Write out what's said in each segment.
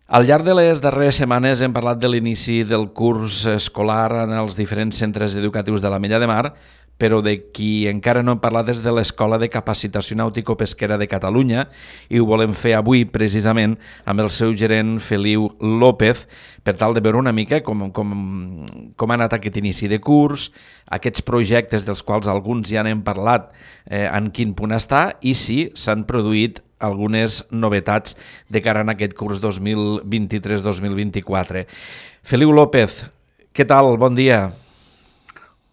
Al llarg de les darreres setmanes hem parlat de l'inici del curs escolar en els diferents centres educatius de l'Ametlla de Mar, però de qui encara no hem parlat és de l'Escola de Capacitació Nàutico-Pesquera de Catalunya i ho volem fer avui precisament amb el seu gerent Feliu López per tal de veure una mica com ha anat aquest inici de curs, aquests projectes dels quals alguns ja n'hem parlat, en quin punt està i si s'han produït algunes novetats de cara a aquest curs 2023-2024. Feliu López, què tal? Bon dia.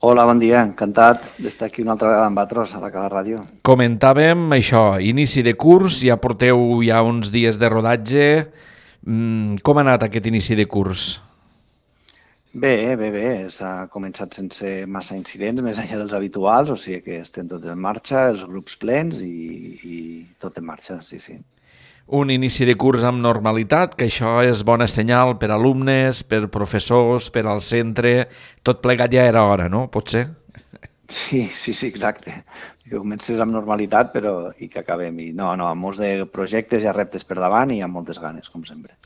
Hola, bon dia. Encantat d'estar aquí una altra vegada amb vosaltres a la Cala Ràdio. Comentàvem això, inici de curs, ja porteu ja uns dies de rodatge. Com ha anat aquest inici de curs? Bé. S'ha començat sense massa incidents, més enllà dels habituals, o sigui que estem tots en marxa, els grups plens i tot en marxa, sí. Un inici de curs amb normalitat, que això és bona senyal per alumnes, per professors, per al centre, tot plegat ja era hora, no? Pot ser? Sí, exacte. Que comences amb normalitat i que acabem. I no, amb molts de projectes i reptes per davant i amb moltes ganes, com sempre.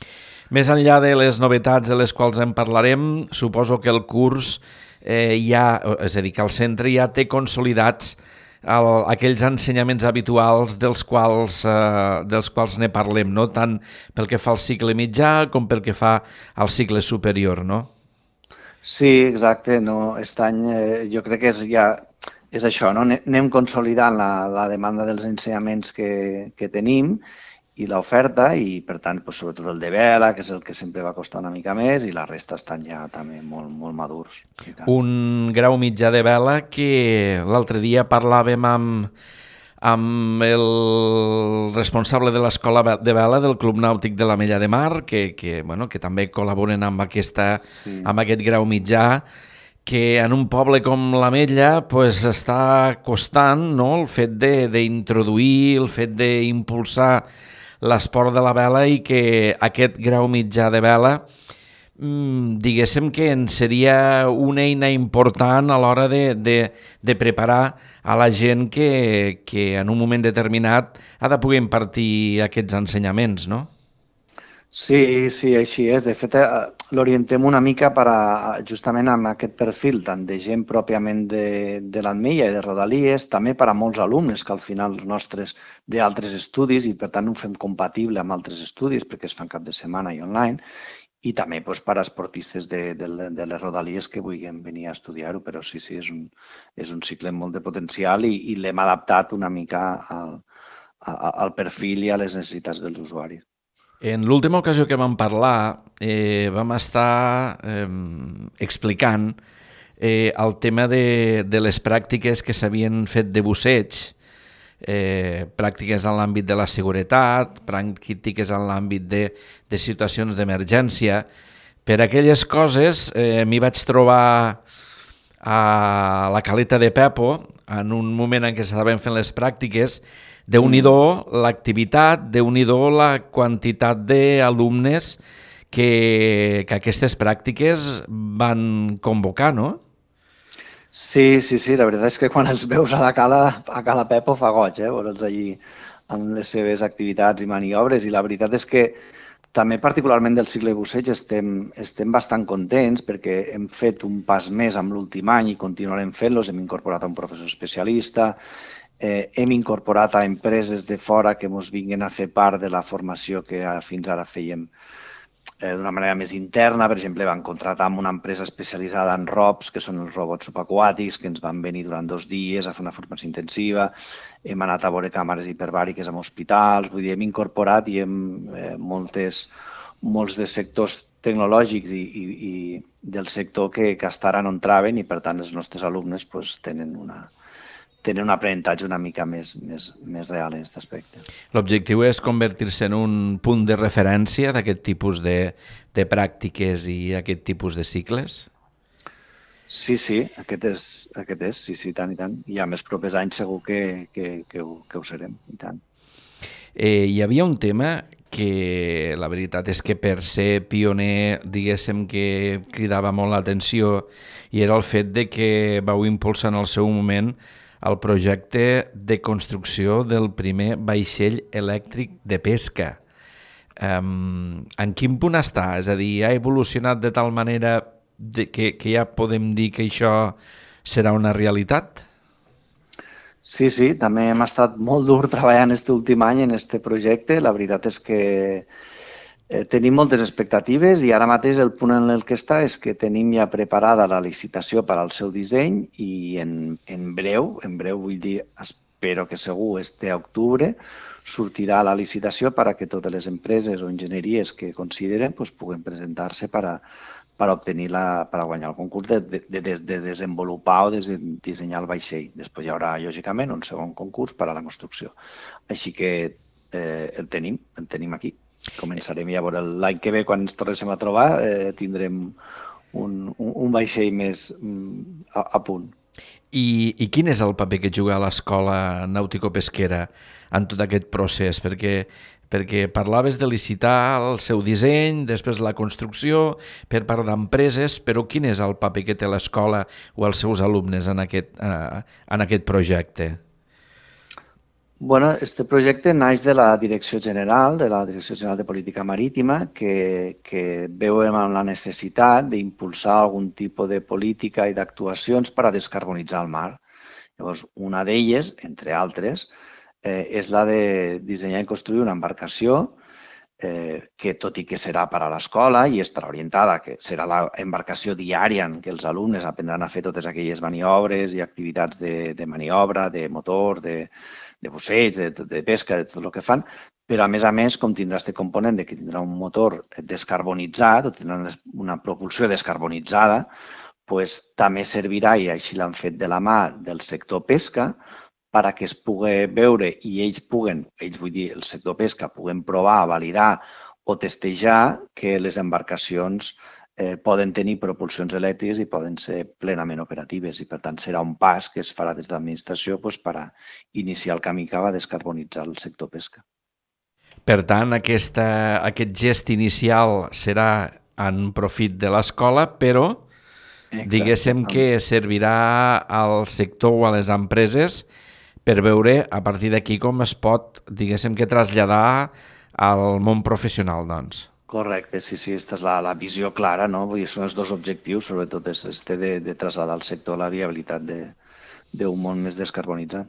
Més enllà de les novetats de les quals en parlarem, suposo que el curs és a dir, que el centre ja té consolidats aquells ensenyaments habituals dels quals ne parlem, no? Tant pel que fa al cicle mitjà com pel que fa al cicle superior, no? Sí, exacte. No, aquest any jo crec que és això, no? Anem consolidant la demanda dels ensenyaments que tenim i l'oferta i, per tant, sobretot el de vela, que és el que sempre va costar una mica més, i la resta estan ja també molt, molt madurs. Un grau mitjà de vela que l'altre dia parlàvem amb el responsable de l'escola de vela del Club Nàutic de l'Ametlla de Mar, que també col·laboren amb aquest grau mitjà, que en un poble com l'Ametlla està costant, no?, el fet d'introduir, el fet d'impulsar l'esport de la vela i que aquest grau mitjà de vela diguéssim que en seria una eina important a l'hora de preparar a la gent que en un moment determinat ha de poder impartir aquests ensenyaments, no? Sí, així és. De fet, l'orientem una mica justament amb aquest perfil, tant de gent pròpiament de l'Ametlla i de Rodalies, també per a molts alumnes que al final els nostres d'altres estudis i per tant ho fem compatible amb altres estudis perquè es fan cap de setmana i online, i també per a esportistes de les Rodalies que vulguin venir a estudiar-ho, però sí, és un cicle amb molt de potencial i l'hem adaptat una mica al perfil i a les necessitats dels usuaris. En l'última ocasió que vam parlar vam estar explicant el tema de les pràctiques que s'havien fet de busseig, pràctiques en l'àmbit de la seguretat, pràctiques en l'àmbit de situacions d'emergència. Per aquelles coses m'hi vaig trobar a la Caleta de Pepo en un moment en què s'estaven fent les pràctiques. Déu-n'hi-do l'activitat, Déu-n'hi-do la quantitat d'alumnes que aquestes pràctiques van convocar, no? Sí, la veritat és que quan els veus a la Cala Pepo fa goig, veure'ls allí amb les seves activitats i maniobres, i la veritat és que també particularment del cicle busseig estem bastant contents perquè hem fet un pas més amb l'últim any i continuarem fent-los, hem incorporat a un professor especialista, hem incorporat a empreses de fora que ens vinguin a fer part de la formació que fins ara fèiem d'una manera més interna. Per exemple, vam contratar amb una empresa especialitzada en ROPs, que són els robots subaquàtics, que ens van venir durant 2 dies a fer una formació intensiva. Hem anat a veure càmeres hiperbàriques en hospitals, vull dir, hem incorporat i molts de sectors tecnològics i del sector que fins ara no entraven i, per tant, els nostres alumnes tenen un aprenentatge una mica més real en aquest aspecte. L'objectiu és convertir-se en un punt de referència d'aquest tipus de pràctiques i aquest tipus de cicles? Sí, aquest és, tant i tant. I a més propers anys segur que ho serem, i tant. Hi havia un tema que la veritat és que per ser pioner, diguéssim que cridava molt l'atenció, i era el fet de que vau impulsar en el seu moment el projecte de construcció del primer vaixell elèctric de pesca. En quin punt està? És a dir, ha evolucionat de tal manera que ja podem dir que això serà una realitat? Sí, sí, també hem estat molt dur treballant aquest últim any en aquest projecte. La veritat és que tenim moltes expectatives i ara mateix el punt en el que està és que tenim ja preparada la licitació per al seu disseny i en breu vull dir, espero que segur este octubre, sortirà la licitació per a que totes les empreses o enginyeries que consideren pues, puguen presentar-se per a guanyar el concurs de desenvolupar o dissenyar el vaixell. Després hi haurà, lògicament, un segon concurs per a la construcció. Així que el tenim aquí. Començarem llavors l'any que ve, quan ens tornéssim a trobar, tindrem un vaixell més a punt. I quin és el paper que juga l'escola nàutico-pesquera en tot aquest procés? Perquè parlaves de licitar el seu disseny, després la construcció per part d'empreses, però quin és el paper que té l'escola o els seus alumnes en aquest projecte? Bueno, este projecte naix de la Direcció General de Política Marítima, que veuen la necessitat d'impulsar algun tipus de política i d'actuacions per a descarbonitzar el mar. Llavors, una d'elles, entre altres, és la de dissenyar i construir una embarcació que, tot i que serà per a l'escola i estarà orientada, que serà l'embarcació diària en què els alumnes aprendran a fer totes aquelles maniobres i activitats de maniobra, de motor, de busseig, de pesca, de tot el que fan, però a més, com tindrà aquest component de que tindrà un motor descarbonitzat o tindrà una propulsió descarbonitzada, pues, també servirà, i així l'han fet de la mà del sector pesca, perquè es pugui veure i ells vull dir, el sector pesca, puguen provar, validar o testejar que les embarcacions poden tenir propulsions elèctriques i poden ser plenament operatives i, per tant, serà un pas que es farà des de l'administració per a iniciar el camí cap a descarbonitzar el sector pesca. Per tant, aquest gest inicial serà en profit de l'escola, però diguéssim que servirà al sector o a les empreses per veure a partir d'aquí com es pot, diguéssim, que traslladar al món professional, doncs. Correcte, sí, aquesta és la visió clara, no? Vull dir, són els dos objectius, sobretot de traslladar al sector la viabilitat d'un món més descarbonitzat.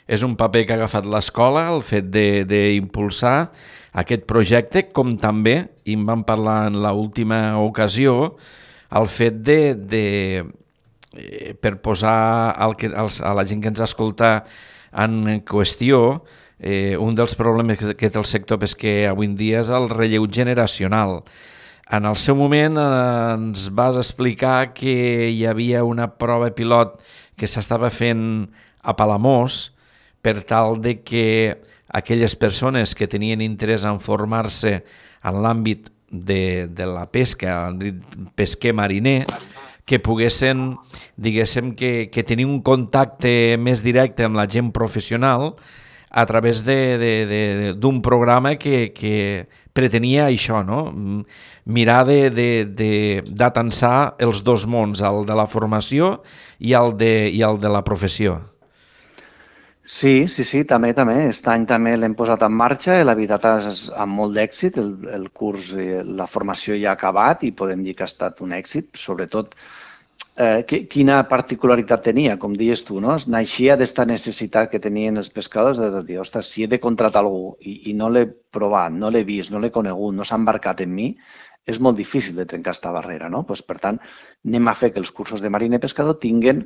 És un paper que ha agafat l'escola, el fet d'impulsar aquest projecte, com també, i en vam parlar en l'última ocasió, el fet per posar a la gent que ens escolta en qüestió, un dels problemes que té el sector pesquer avui en dia és el relleu generacional. En el seu moment ens vas explicar que hi havia una prova pilot que s'estava fent a Palamós per tal de que aquelles persones que tenien interès en formar-se en l'àmbit de la pesca, l'àmbit pesquer mariner, que poguessin, diguéssim, que tenir un contacte més directe amb la gent professional a través d'un programa que pretenia això, no? Mirar d'atensar els dos mons, el de la formació i el de la professió. Sí, també. Aquest any també l'hem posat en marxa i la veritat és amb molt d'èxit. El curs, la formació ja ha acabat i podem dir que ha estat un èxit, sobretot quina particularitat tenia, com dius tu, no? Naixia d'esta necessitat que tenien els pescadors de dir, ostres, si he de contratar algú i no l'he provat, no l'he vist, no l'he conegut, no s'ha embarcat en mi, és molt difícil de trencar aquesta barrera, no? Per tant, anem a fer que els cursos de mariner pescador tinguin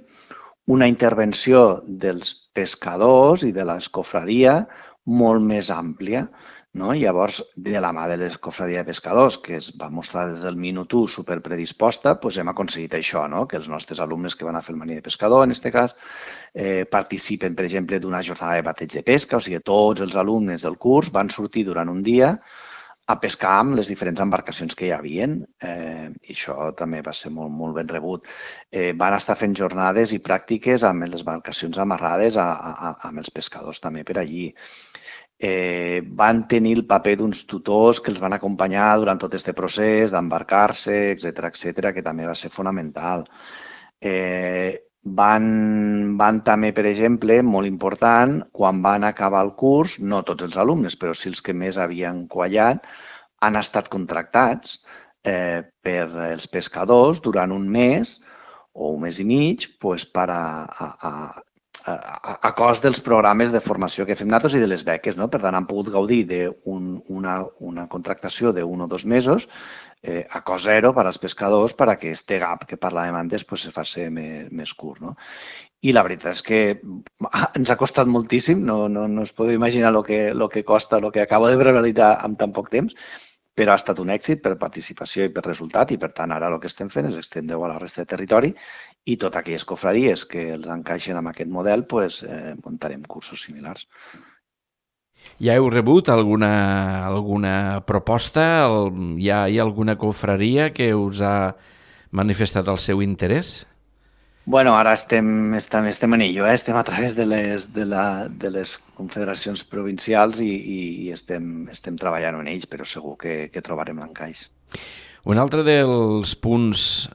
una intervenció dels pescadors i de l'escofradia molt més àmplia, no? Llavors, de la mà de l'escofradia de pescadors, que es va mostrar des del minut 1 superpredisposta, doncs hem aconseguit això, no? Que els nostres alumnes que van a fer el mariner pescador, en aquest cas, participen, per exemple, d'una jornada de bateig de pesca, o sigui, tots els alumnes del curs van sortir durant un dia a pescar amb les diferents embarcacions que hi havia, i això també va ser molt, molt ben rebut. Van estar fent jornades i pràctiques amb les embarcacions amarrades amb els pescadors també per allí. Van tenir el paper d'uns tutors que els van acompanyar durant tot aquest procés d'embarcar-se, etc., que també va ser fonamental. Van també, per exemple, molt important, quan van acabar el curs, no tots els alumnes, però sí els que més havien quallat, han estat contractats per els pescadors durant un mes o un mes i mig per a cost dels programes de formació que fem nosaltres i de les beques. No? Per tant, han pogut gaudir d'una contractació d'un o 2 mesos a cost zero per als pescadors perquè este gap que parlàvem antes se faci més curt. No? I la veritat és que ens ha costat moltíssim, no us podeu imaginar el que costa, el que acabo de realitzar en tan poc temps, però ha estat un èxit per participació i per resultat i, per tant, ara el que estem fent és estendre-ho a la resta de territori i totes aquelles cofradies que els encaixen amb aquest model, muntarem cursos similars. Ja heu rebut alguna proposta? Hi ha alguna confraria que us ha manifestat el seu interès? Bueno, ara estem en ello, estem a través de les confederacions provincials i estem treballant en ells, però segur que trobarem l'encaix. Un altre dels punts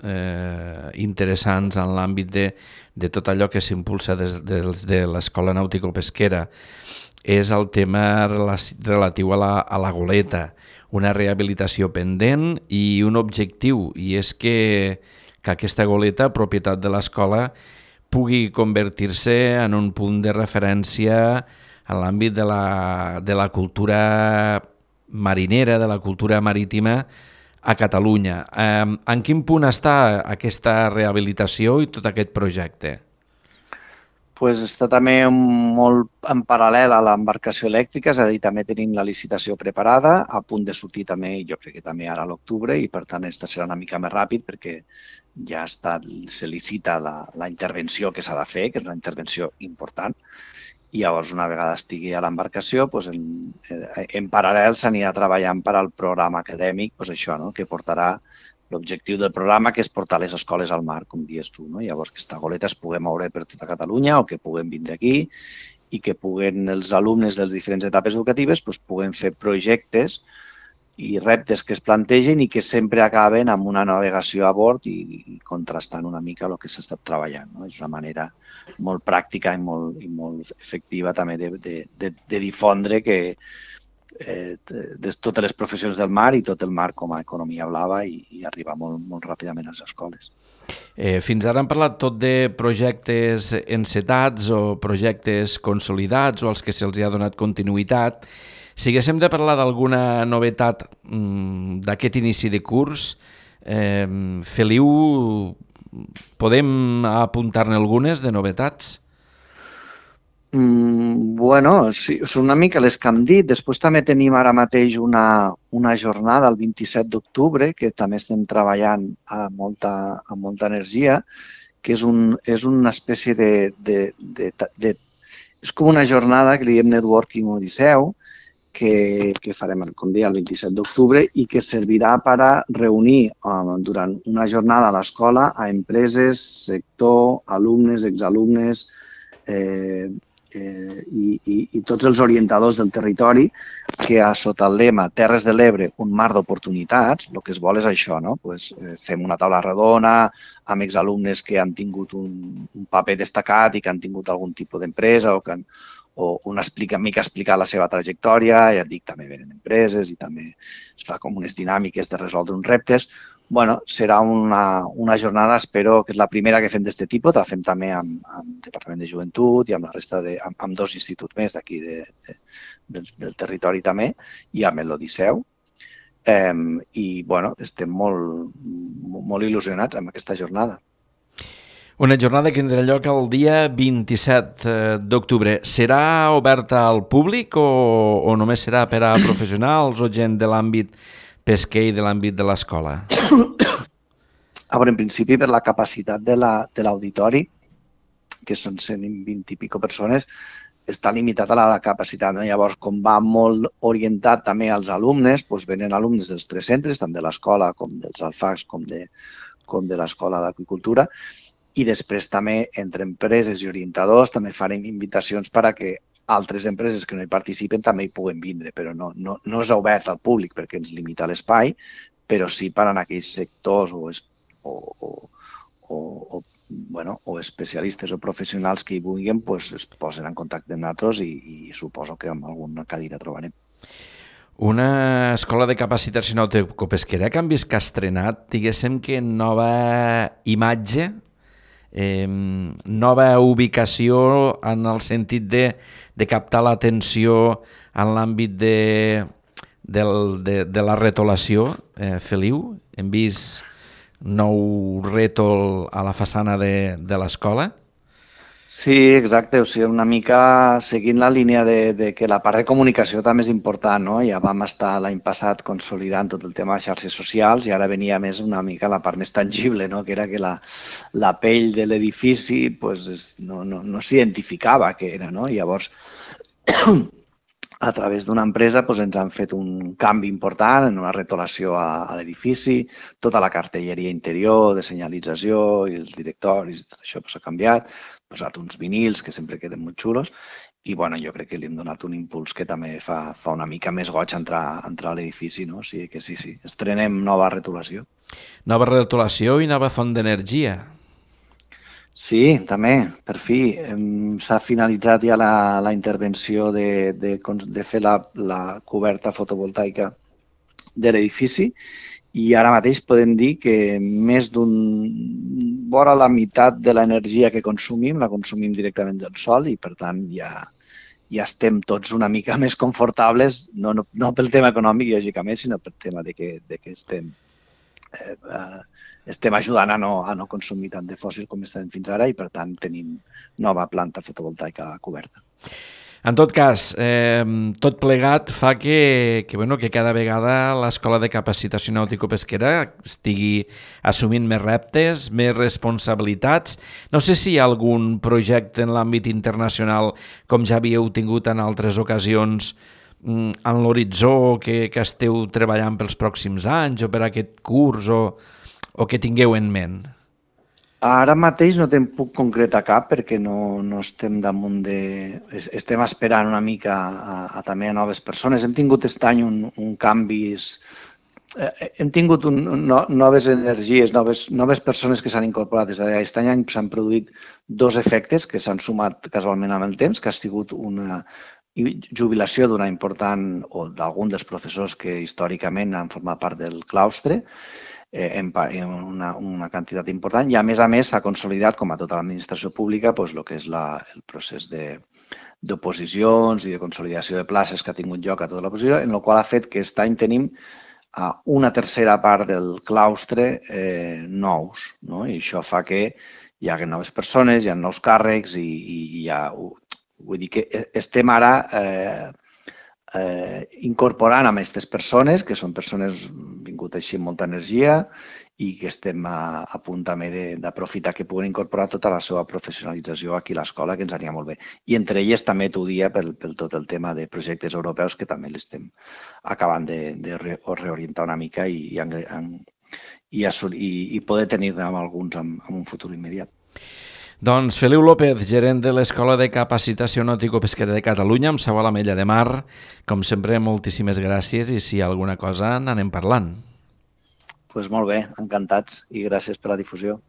interessants en l'àmbit de tot allò que s'impulsa des de l'Escola Nàutico-Pesquera és el tema relatiu a la goleta, una rehabilitació pendent i un objectiu, i és que aquesta goleta, propietat de l'escola, pugui convertir-se en un punt de referència en l'àmbit de la cultura marinera, de la cultura marítima a Catalunya. En quin punt està aquesta rehabilitació i tot aquest projecte? Està també molt en paral·lel a l'embarcació elèctrica, és a dir, també tenim la licitació preparada, a punt de sortir també, jo crec que també ara a l'octubre, i per tant aquesta serà una mica més ràpid perquè ja se licita la intervenció que s'ha de fer, que és una intervenció important, i llavors una vegada estigui a l'embarcació, en paral·lel s'anirà treballant per al programa acadèmic, això, que portarà l'objectiu del programa, que és portar les escoles al mar, com dius tu. Llavors, que aquesta goleta es pugui moure per tota Catalunya o que puguem vindre aquí i que els alumnes de les diferents etapes educatives puguen fer projectes i reptes que es plantegen i que sempre acaben amb una navegació a bord i contrastant una mica el que s'ha estat treballant. És una manera molt pràctica i molt efectiva també de difondre que de totes les professions del mar i tot el mar com a economia blava i arribar molt ràpidament a les escoles. Fins ara hem parlat tot de projectes encetats o projectes consolidats o als que se'ls ha donat continuïtat. Si haguéssim de parlar d'alguna novetat d'aquest inici de curs, Feliu, podem apuntar-ne algunes de novetats? Bueno, sí, són una mica les que hem dit. Després també tenim ara mateix una jornada el 27 d'octubre que també estem treballant amb molta energia, que és una espècie és com una jornada que li diem Networking Odisseu, que farem, com deia, el 27 d'octubre i que servirà per a reunir durant una jornada a l'escola a empreses, sector, alumnes, exalumnes, i tots els orientadors del territori que sota el lema Terres de l'Ebre, un mar d'oportunitats, el que es vol és això, no? Fem una taula redona amb exalumnes que han tingut un paper destacat i que han tingut algun tipus d'empresa o una mica explicar la seva trajectòria, ja et dic, també venen empreses i també es fa com unes dinàmiques de resoldre uns reptes. Bueno, serà una jornada, espero que és la primera que fem d'aquest tipus, la fem també amb el Departament de Joventut i amb la resta amb 2 instituts més d'aquí del territori també i amb l'Odisseu. I, bueno, estem molt il·lusionats amb aquesta jornada. Una jornada que tindrà lloc el dia 27 d'octubre. Serà oberta al públic o només serà per a professionals o gent de l'àmbit pesquer i de l'àmbit de l'escola? A veure, en principi, per la capacitat de l'auditori, que són 120 i pico persones, està limitat a la capacitat. Llavors, com va molt orientat també als alumnes, venen alumnes dels 3 centres, tant de l'escola com dels alfacs com de l'escola d'agricultura, i després també entre empreses i orientadors també farem invitacions per a que altres empreses que no hi participen també hi puguen vindre, però no és obert al públic perquè ens limita l'espai, però sí per a aquells sectors o especialistes o professionals que hi vulguin es posen en contacte amb nosaltres i suposo que amb alguna cadira trobarem. Una escola de capacitació nautico-pesquera que han vist que ha estrenat, diguéssim que nova imatge, nova ubicació en el sentit de captar l'atenció en l'àmbit de la retolació, Feliu. Hem vist nou rètol a la façana de l'escola. Sí, exacte, o sigui, una mica seguint la línia de que la part de comunicació també és important, no? Ja vam estar l'any passat consolidant tot el tema de xarxes socials i ara venia més una mica la part més tangible, no? Que era que la pell de l'edifici pues, no s'identificava què era, no? Llavors, a través d'una empresa doncs, ens han fet un canvi important en una retolació a l'edifici, tota la cartelleria interior de senyalització i els directoris, tot això s'ha canviat, posat uns vinils que sempre queden molt xulos i bueno, jo crec que li hem donat un impuls que també fa una mica més goig entrar a l'edifici, no? O sigui que sí, estrenem nova retolació. Nova retolació i nova font d'energia. Sí, també, per fi. S'ha finalitzat ja la intervenció de fer la coberta fotovoltaica de l'edifici i ara mateix podem dir que més vora la meitat de l'energia que consumim la consumim directament del sol i per tant ja estem tots una mica més confortables, no pel tema econòmic, lògicament, sinó pel tema de que estem ajudant a no consumir tant de fòssil com estem fins ara i, per tant, tenim nova planta fotovoltaica coberta. En tot cas, tot plegat fa que cada vegada l'Escola de Capacitació Nautico-Pesquera estigui assumint més reptes, més responsabilitats. No sé si hi ha algun projecte en l'àmbit internacional, com ja havíeu tingut en altres ocasions, en l'horitzó que esteu treballant pels pròxims anys o per aquest curs o que tingueu en ment? Ara mateix no te'n puc concretar cap perquè no estem damunt estem esperant una mica també a noves persones. Hem tingut aquest any un canvis, hem tingut noves energies, noves persones que s'han incorporat. Aquest any s'han produït dos efectes que s'han sumat casualment amb el temps, que ha sigut una jubilació d'una important o d'algun dels professors que històricament han format part del claustre en una quantitat important i a més s'ha consolidat, com a tota l'administració pública, el que és el procés d'oposicions i de consolidació de places que ha tingut lloc a tota l'oposició, en el qual ha fet que aquest any tenim una tercera part del claustre nous, no? I això fa que hi hagi noves persones, hi ha nous càrrecs i hi ha... Vull dir que estem ara incorporant amb aquestes persones, que són persones vingut així amb molta energia i que estem a punt també d'aprofitar que puguen incorporar tota la seva professionalització aquí a l'escola, que ens anirà molt bé. I entre elles també t'ho dia pel tot el tema de projectes europeus que també l'estem acabant de reorientar una mica i poder tenir-ne alguns en un futur immediat. Doncs Feliu López, gerent de l'Escola de Capacitació Nautico-Pesquera de Catalunya, amb seu a l'Ametlla de Mar. Com sempre, moltíssimes gràcies i si hi ha alguna cosa n'anem parlant. Doncs molt bé, encantats i gràcies per la difusió.